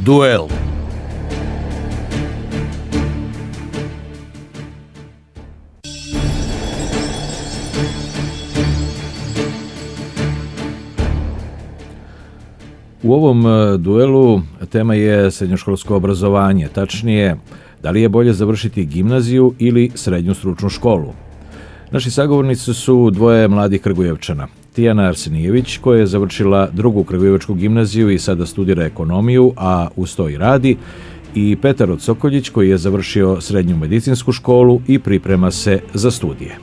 Duel. U ovom duelu tema je srednjoškolsko obrazovanje, tačnije da li je bolje završiti gimnaziju ili srednju stručnu školu. Naši sagovornici su dvoje mladih Kragujevčana. Tijana Arsenijević, koja je završila drugu Kragujevačku gimnaziju i sada studira ekonomiju, a uz to i radi, i Petar Sokoljić, koji je završio srednju medicinsku školu i priprema se za studije.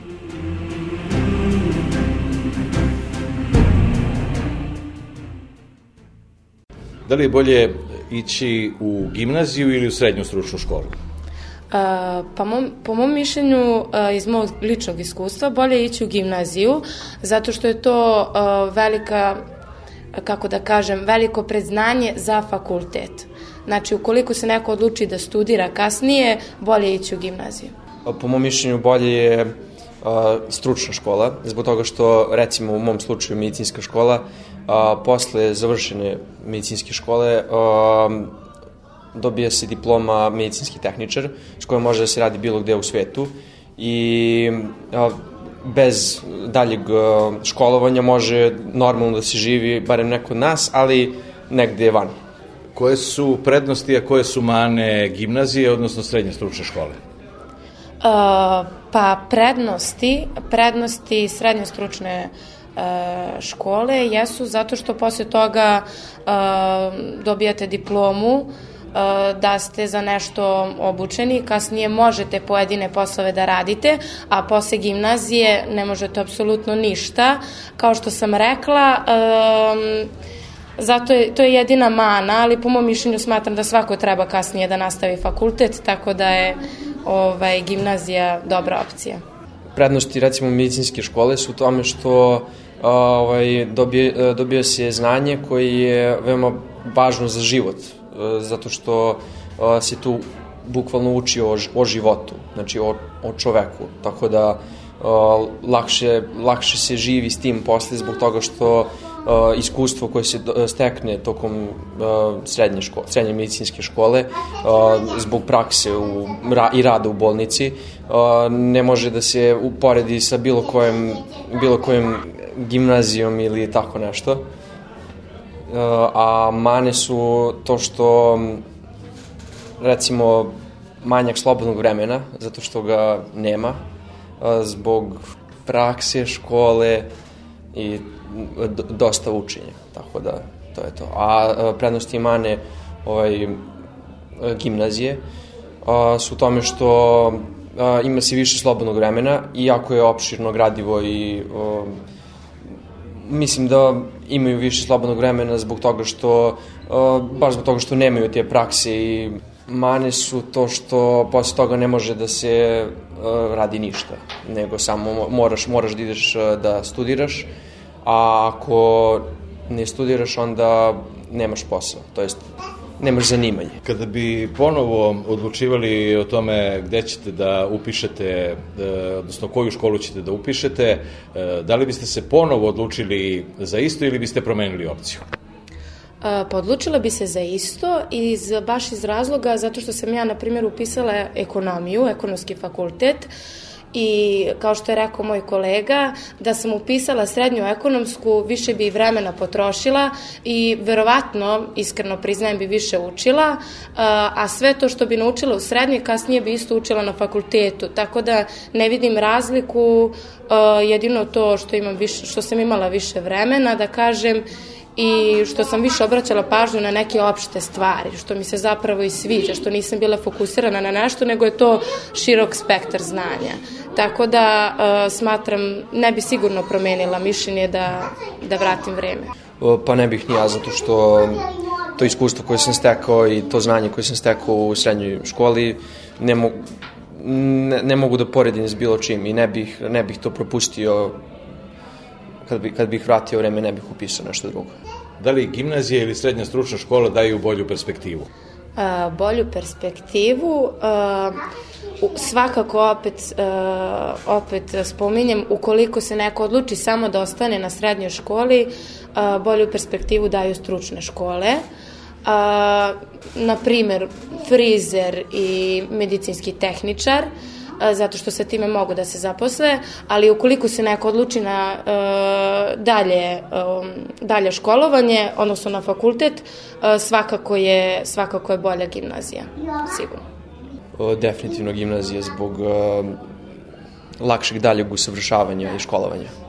Da li je bolje ići u gimnaziju ili u srednju stručnu školu? Po mom mišljenju, iz mog ličnog iskustva, bolje je ići u gimnaziju, zato što je to veliko predznanje za fakultet. Znači, ukoliko se neko odluči da studira kasnije, bolje je ići u gimnaziju. Po mom mišljenju bolje je stručna škola, zbog toga što, recimo u mom slučaju medicinska škola, posle završene medicinske škole dobija se diploma medicinski tehničar, s kojom može da se radi bilo gde u svetu i bez daljeg školovanja može normalno da se živi, barem neko od nas, ali negde van. Koje su prednosti, a koje su mane gimnazije, odnosno srednje stručne škole? Prednosti srednje stručne škole jesu zato što posle toga dobijate diplomu, da ste za nešto obučeni, kasnije možete pojedine poslove da radite, a posle gimnazije ne možete apsolutno ništa. Kao što sam rekla, to je jedina mana, ali po mom mišljenju smatram da svako treba kasnije da nastavi fakultet, tako da je gimnazija dobra opcija. Prednosti, recimo, medicinske škole su u tome što dobija se znanje koje je veoma važno za život, zato što se tu bukvalno uči o životu, znači o čoveku, tako da lakše se živi s tim posle zbog toga što iskustvo koje se stekne tokom srednje medicinske škole zbog prakse i rada u bolnici ne može da se uporedi sa bilo kojom gimnazijom ili tako nešto. A mane su to što, recimo, manjak slobodnog vremena, zato što ga nema, zbog prakse, škole i dosta učenja, tako da to je to. A prednosti i mane gimnazije su u tome što ima se više slobodnog vremena, iako je opširno gradivo i mislim da imaju više slobodnog vremena zbog toga što nemaju te prakse i mane su to što posle toga ne može da se radi ništa, nego samo moraš da ideš da studiraš, a ako ne studiraš onda nemaš posao, to jest nemaš zanimanje. Kada bi ponovo odlučivali o tome gde ćete da upišete, odnosno koju školu ćete da upišete, da li biste se ponovo odlučili za isto ili biste promenili opciju? Odlučila bi se za isto baš iz razloga zato što sam ja, na primjer, upisala ekonomiju, ekonomski fakultet, i kao što je rekao moj kolega, da sam upisala srednju ekonomsku, više bi vremena potrošila i verovatno, iskreno priznajem, bi više učila, a sve to što bi naučila u srednjoj, kasnije bi isto učila na fakultetu, tako da ne vidim razliku, jedino to što sam imala više vremena, da kažem, i što sam više obraćala pažnju na neke opšte stvari, što mi se zapravo i sviđa, što nisam bila fokusirana na nešto, nego je to širok spektar znanja. Tako da smatram, ne bi sigurno promenila mišljenje da vratim vreme. Pa ne bih ni ja, zato što to iskustvo koje sam stekao i to znanje koje sam stekao u srednjoj školi ne mogu da poredim s bilo čim i ne bih to propustio. Kad bih vratio vreme, ne bih upisao nešto drugo. Da li gimnazija ili srednja stručna škola daju bolju perspektivu? Bolju perspektivu, svakako opet spominjem, ukoliko se neko odluči samo da ostane na srednjoj školi, bolju perspektivu daju stručne škole, na primer frizer i medicinski tehničar, zato što sa time mogu da se zaposle, ali ukoliko se neko odluči na dalje školovanje, odnosno na fakultet, svakako je bolja gimnazija, sigurno. Definitivno gimnazija zbog lakšeg daljeg usavršavanja i školovanja.